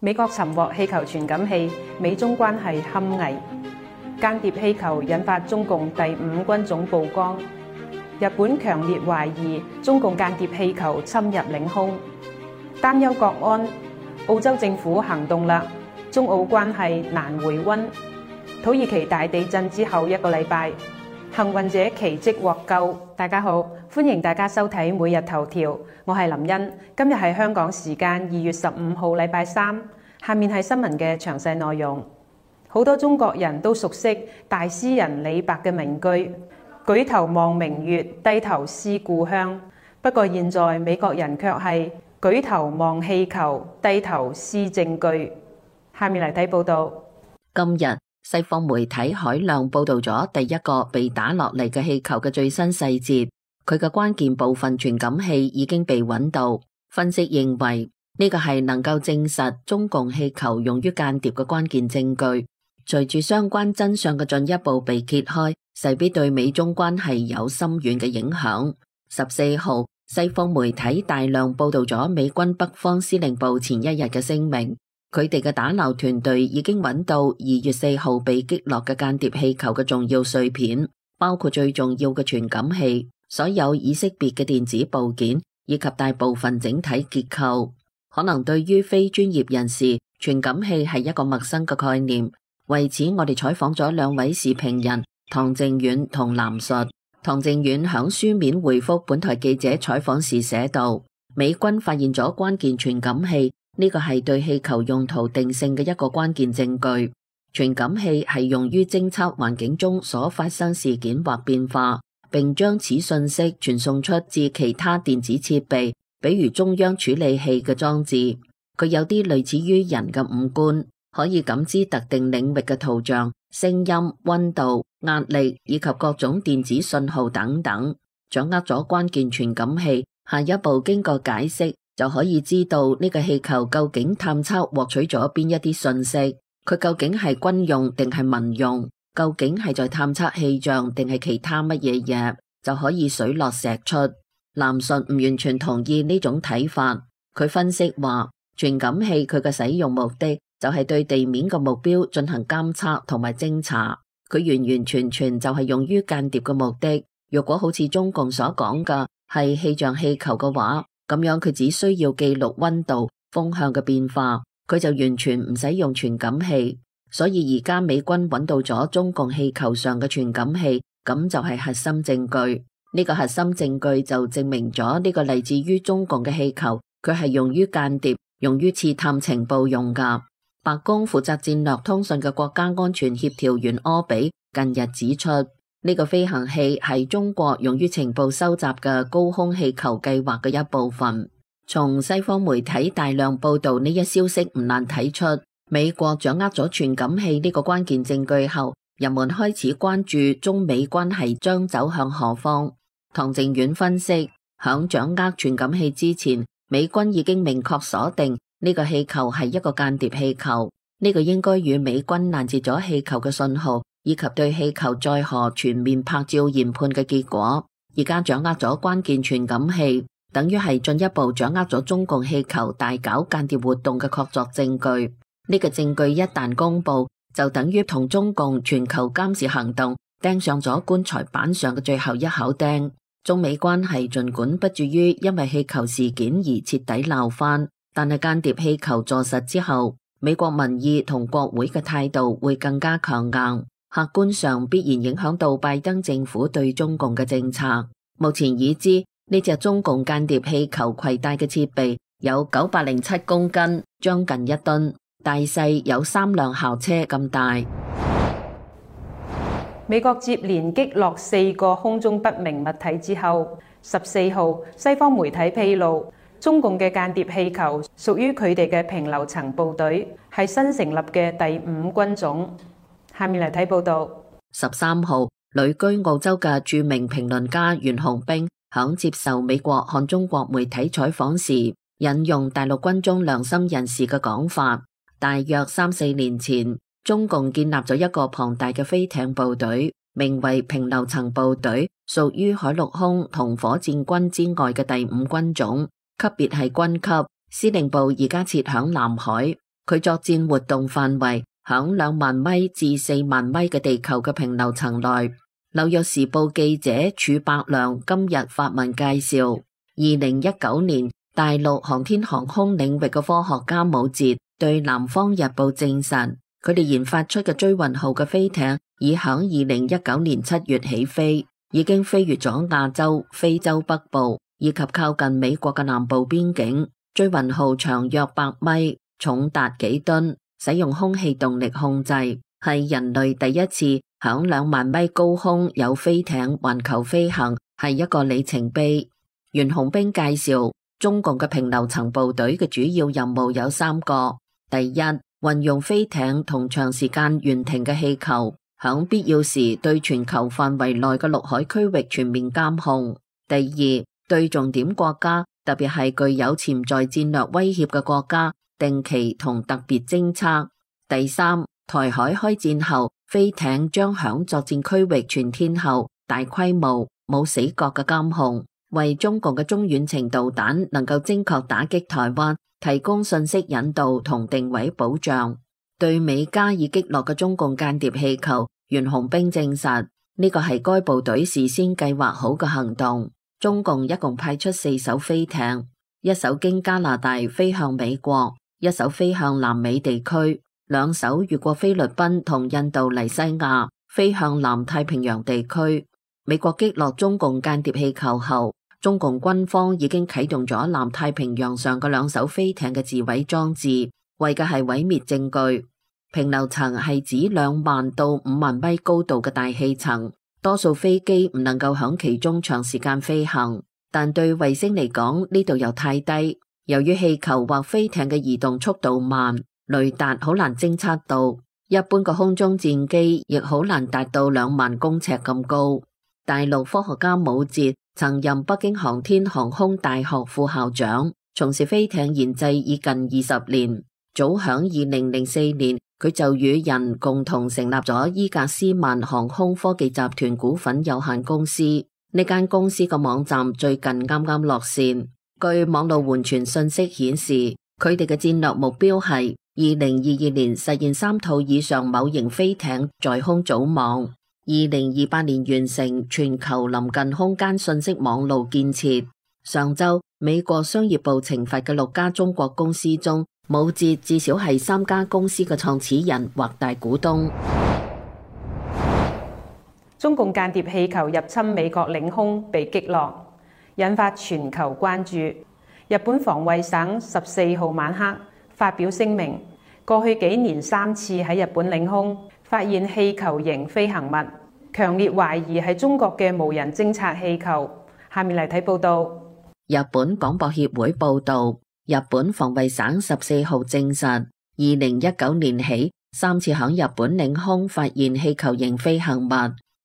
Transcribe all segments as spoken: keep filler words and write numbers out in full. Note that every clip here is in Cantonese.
美國尋獲氣球傳感器，美中關係堪危。間諜氣球引發中共第五軍總曝光。日本強烈懷疑中共間諜氣球侵入領空，擔憂國安。澳洲政府行動啦，中澳關係難回溫。土耳其大地震之後一個禮拜，幸運者奇蹟獲救。大家好，歡迎大家收睇每日頭條，我係林茵。今日係香港時間二月十五號禮拜三，下面係新聞嘅詳細內容。好多中國人都熟悉大詩人李白嘅名句：舉頭望明月，低頭思故鄉。不過現在美國人卻係舉頭望氣球，低頭思證據。下面嚟睇報道。今日西方媒體海量報道咗第一個被打落嚟嘅氣球嘅最新細節，佢嘅關鍵部分傳感器已經被揾到。分析認為呢個係能夠證實中共氣球用於間諜嘅關鍵證據。隨住相關真相嘅進一步被揭開，勢必對美中關係有深遠嘅影響。十四號，西方媒體大量報道咗美軍北方司令部前一日嘅聲明，佢哋嘅打撈團隊已經揾到二月四號被擊落嘅間諜氣球嘅重要碎片，包括最重要嘅傳感器、所有已識別嘅電子部件以及大部分整體結構。可能對於非專業人士，傳感器係一個陌生嘅概念。為此，我哋採訪咗兩位時評人唐靖遠同藍述。唐靖遠響書面回覆本台記者採訪時寫道：美軍發現咗關鍵傳感器，呢個係對氣球用途定性嘅一個關鍵證據。傳感器係用於偵測環境中所發生事件或變化，並將此信息傳送出至其他電子設備，比如中央處理器嘅裝置。佢有啲類似於人嘅五官，可以感知特定領域嘅圖像、聲音、溫度、壓力以及各種電子信號等等。掌握咗關鍵傳感器，下一步經過解釋就可以知道呢個氣球究竟探測獲取咗邊一啲信息，佢究竟係軍用定係民用，究竟係在探測氣象定係其他乜嘢嘢，就可以水落石出。藍述唔完全同意呢種睇法，佢分析話傳感器佢嘅使用目的就係對地面嘅目標進行監測同埋偵查，佢完完全全就係用於間諜嘅目的。如果好似中共所講嘅係氣象氣球嘅話，咁樣佢只需要記錄溫度、風向嘅變化，佢就完全唔使用傳感器。所以而家美軍揾到咗中共氣球上嘅傳感器，咁就係核心證據。呢個核心證據就證明咗呢個嚟自於中共嘅氣球，佢係用於間諜、用於刺探情報用噶。白宮負責戰略通訊嘅國家安全協調員柯比近日指出，呢個飛行器係中國用於情報收集嘅高空氣球計劃嘅一部分。從西方媒體大量報道呢一消息，唔難睇出，美國掌握咗傳感器呢個關鍵證據後，人們開始關注中美關係將走向何方。唐靖遠分析，響掌握傳感器之前，美軍已經明確鎖定呢個氣球係一個間諜氣球，呢個應該與美軍攔截咗氣球嘅信號以及對氣球載荷全面拍照研判嘅結果。而家掌握咗關鍵傳感器，等於係進一步掌握咗中共氣球大搞間諜活動嘅確鑿證據。呢個證據一旦公布，就等於同中共全球監視行動釘上咗棺材板上嘅最後一口釘。中美關係盡管不至於因為氣球事件而徹底鬧翻，但係間諜氣球坐實之後，美國民意同國會嘅態度會更加強硬，客觀上必然影響到拜登政府對中共嘅政策。目前已知呢隻中共間諜氣球攜帶嘅設備有九百零七公斤，將近一噸，大細有三輛校車咁大。美國接連擊落四個空中不明物體之後，十四號西方媒體披露，中共嘅間諜氣球屬於佢哋嘅平流層部隊，係新成立嘅第五軍種。下面嚟睇報道。十三號，旅居澳洲嘅著名評論家袁紅冰響接受美國漢中國媒體採訪時，引用大陸軍中良心人士嘅講法，大約三四年前，中共建立咗一個龐大嘅飛艇部隊，名為平流層部隊，屬於海陸空同火箭軍之外嘅第五軍種，級別係軍級，司令部而家設響南海。佢作戰活動範圍響兩萬米至四萬米嘅地球嘅平流層內。紐約時報記者儲伯良今日發文介紹，二零一九年大陸航天航空領域嘅科學家武哲對南方日報證實，佢哋研發出嘅追雲號嘅飛艇已響二零一九年七月起飛，已經飛越咗亞洲、非洲北部以及靠近美國嘅南部邊境。追雲號長約百米，重達幾噸，使用空氣動力控制，係人類第一次響兩萬米高空有飛艇環球飛行，係一個里程碑。袁洪兵介紹，中共嘅平流層部隊嘅主要任務有三個：第一，運用飛艇同長時間懸停嘅氣球，響必要時對全球範圍內嘅陸海區域全面監控；第二，對重點國家，特別係具有潛在戰略威脅嘅國家，定期同特別偵測；第三，台海開戰後，飛艇將響作戰區域全天候、大規模、冇死角嘅監控，為中共嘅中遠程導彈能夠精確打擊台灣提供信息引導同定位保障。對美加以擊落嘅中共間諜氣球，袁洪兵證實呢個係該部隊事先計劃好嘅行動。中共一共派出四艘飛艇，一艘經加拿大飛向美國，一艘飛向南美地區，兩艘越過菲律賓同印度尼西亞飛向南太平洋地區。美國擊落中共間諜氣球後，中共軍方已經啟動咗南太平洋上嘅兩艘飛艇嘅自毀裝置，為嘅係毀滅證據。平流層係指兩萬到五萬米高度嘅大氣層，多數飛機唔能夠響其中長時間飛行，但對衛星嚟講呢度又太低。由於氣球或飛艇嘅移動速度慢，雷達好難偵測到，一般嘅空中戰機亦好難達到兩萬公尺咁高。大陸科學家武哲曾任北京航天航空大學副校長，從事飛艇研製已近二十年。早響二零零四年，佢就與人共同成立咗伊格斯曼航空科技集團股份有限公司。呢間公司嘅網站最近啱啱落線。據網絡緩傳信息顯示，佢哋嘅戰略目標係二零二二年實現三套以上某型飛艇在空組網，二零二八年完成全球臨近空間信息網路建設。上周，美國商業部懲罰嘅六家中國公司中，武哲至少係三家公司嘅創始人或大股東。中共間諜氣球入侵美國領空被擊落，引發全球關注。日本防衛省十四號晚黑發表聲明，過去幾年三次喺日本領空發現氣球型飛行物，強烈懷疑係中國嘅無人偵察氣球。下面嚟睇報道。日本廣播協會報道，日本防衛省十四號證實，二零一九年起三次響日本領空發現氣球型飛行物，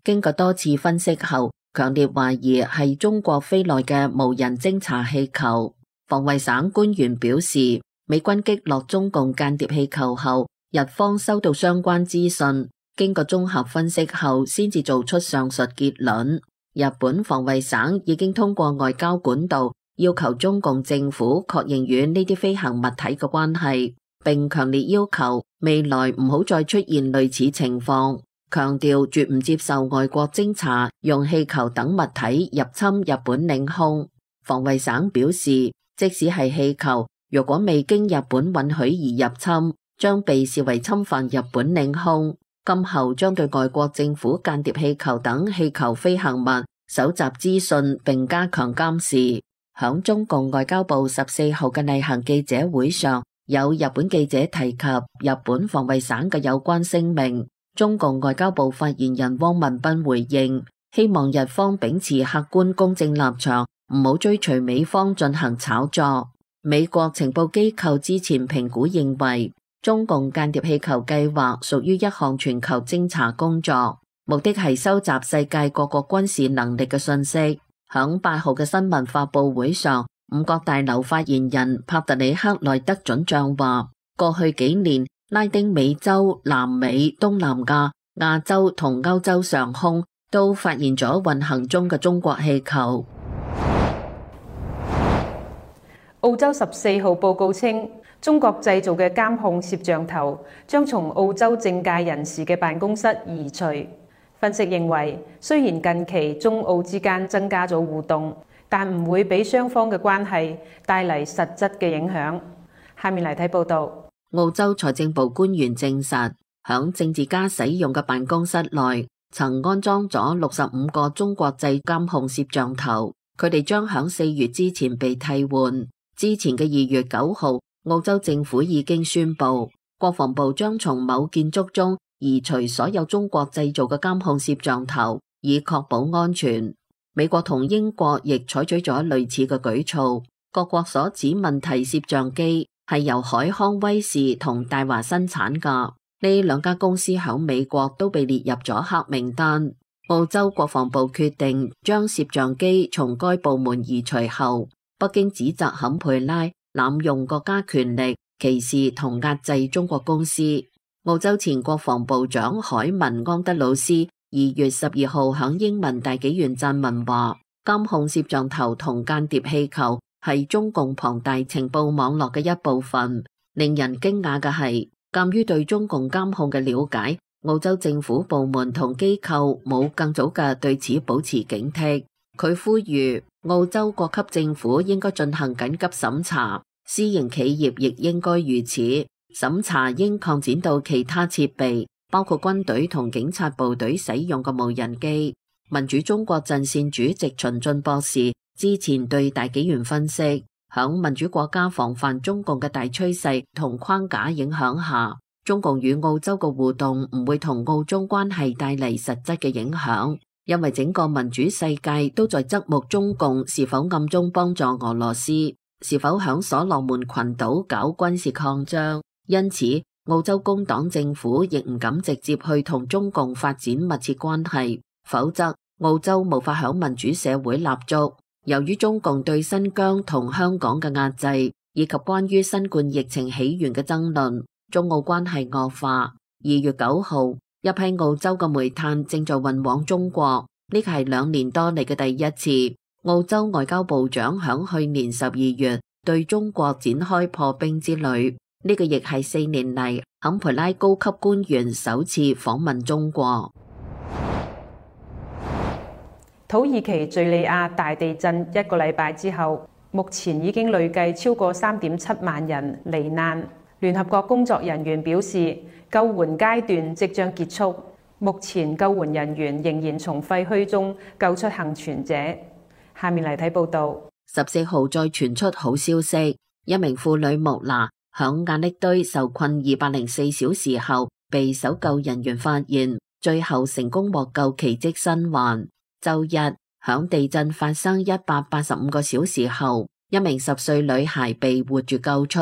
經過多次分析後，強烈懷疑係中國飛來嘅無人偵察氣球。防衛省官員表示，美軍擊落中共間諜氣球後，日方收到相關資訊，經過綜合分析後，先至做出上述結論。日本防衛省已經通過外交管道要求中共政府確認與呢啲飛行物體嘅關係，並強烈要求未來唔好再出現類似情況，強調絕唔接受外國偵察用氣球等物體入侵日本領空。防衛省表示，即使係氣球，如果未經日本允許而入侵，將被視為侵犯日本領空。今後將對外國政府間諜氣球等氣球飛行物搜集資訊並加強監視。響中共外交部十四號嘅例行記者會上，有日本記者提及日本防衛省嘅有關聲明。中共外交部發言人汪文斌回應，希望日方秉持客觀公正立場，唔好追隨美方進行炒作。美國情報機構之前評估認為，中共間諜氣球計劃屬於一項全球偵察工作，目的係收集世界各國軍事能力嘅信息。響八號嘅新聞發佈會上，五角大樓發言人帕特里克內德准將話，過去幾年拉丁美洲、南美、東南亞、亞洲同歐洲上空都發現咗運行中嘅中國氣球。澳洲十四號報告稱，中國製造嘅監控攝像頭將從澳洲政界人士嘅辦公室移除。分析認為，雖然近期中澳之間增加咗互動，但唔會俾雙方嘅關係帶嚟實質嘅影響。下面嚟睇報道。澳洲財政部官員證實，響政治家使用嘅辦公室內曾安裝咗六十五個中國製監控攝像頭，佢哋將響四月之前被替換。之前嘅二月九號，澳洲政府已經宣布，國防部將從某建築中移除所有中國製造嘅監控攝像頭，以確保安全。美國同英國亦採取咗類似嘅舉措。各國所指問題攝像機係由海康威視同大華生產㗎，呢兩家公司響美國都被列入咗黑名單。澳洲國防部決定將攝像機從該部門移除後，北京指責坎培拉濫用國家權力、歧視同壓制中國公司。澳洲前國防部長海文安德魯斯二月十二號響英文大紀元撰文話，監控攝像頭同間諜氣球係中共龐大情報網絡嘅一部分。令人驚訝嘅係，鑒於對中共監控嘅了解，澳洲政府部門同機構冇更早嘅對此保持警惕。佢呼籲澳洲各級政府應該進行緊急審查，私營企業亦應該如此。審查應擴展到其他設備，包括軍隊同警察部隊使用嘅無人機。民主中國陣線主席秦進博士之前對大紀元分析，響民主國家防範中共嘅大趨勢同框架影響下，中共與澳洲嘅互動唔會同澳中關係帶嚟實質嘅影響，因為整個民主世界都在側目中共是否暗中幫助俄羅斯，是否響所羅門群島搞軍事擴張。因此，澳洲工黨政府亦唔敢直接去同中共發展密切關係，否則澳洲無法響民主社會立足。由於中共對新疆同香港嘅壓制，以及關於新冠疫情起源嘅爭論，中澳關係惡化。二月九號，一批澳洲嘅煤炭正在運往中國，呢個係兩年多嚟嘅第一次。澳洲外交部長響去年十二月對中國展開破冰之旅。呢個亦係四年嚟坎培拉高級官員首次訪問中國。土耳其敘利亞大地震一個禮拜之後，目前已經累計超過三點七萬人罹難。聯合國工作人員表示，救援階段即將結束，目前救援人員仍然從廢墟中救出幸存者。下面嚟睇報道。十四號再傳出好消息，一名婦女穆娜響瓦礫堆受困二百零四小時後，被搜救人員發現，最後成功獲救，奇蹟生還。周日響地震發生一百八十五個小時後，一名十歲女孩被活住救出。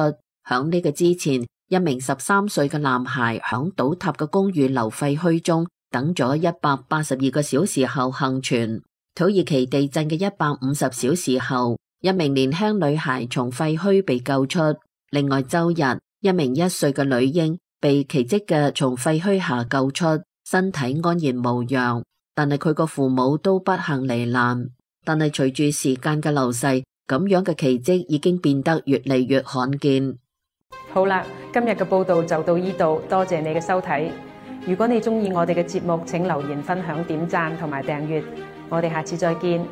響呢個之前，一名十三歲嘅男孩響倒塌嘅公寓樓廢墟中等咗一百八十二個小時後幸存。土耳其地震嘅一百五十小時後，一名年輕女孩從廢墟被救出。另外周日，一名一歲嘅女嬰被奇蹟嘅從廢墟下救出，身體安然無恙，但係佢個父母都不幸罹難。但係隨住時間嘅流逝，咁樣嘅奇蹟已經變得越嚟越罕見。好啦，今日嘅報道就到呢度，多謝你嘅收睇。如果你中意我哋嘅節目，請留言分享、點讚同埋訂閱。我哋下次再見。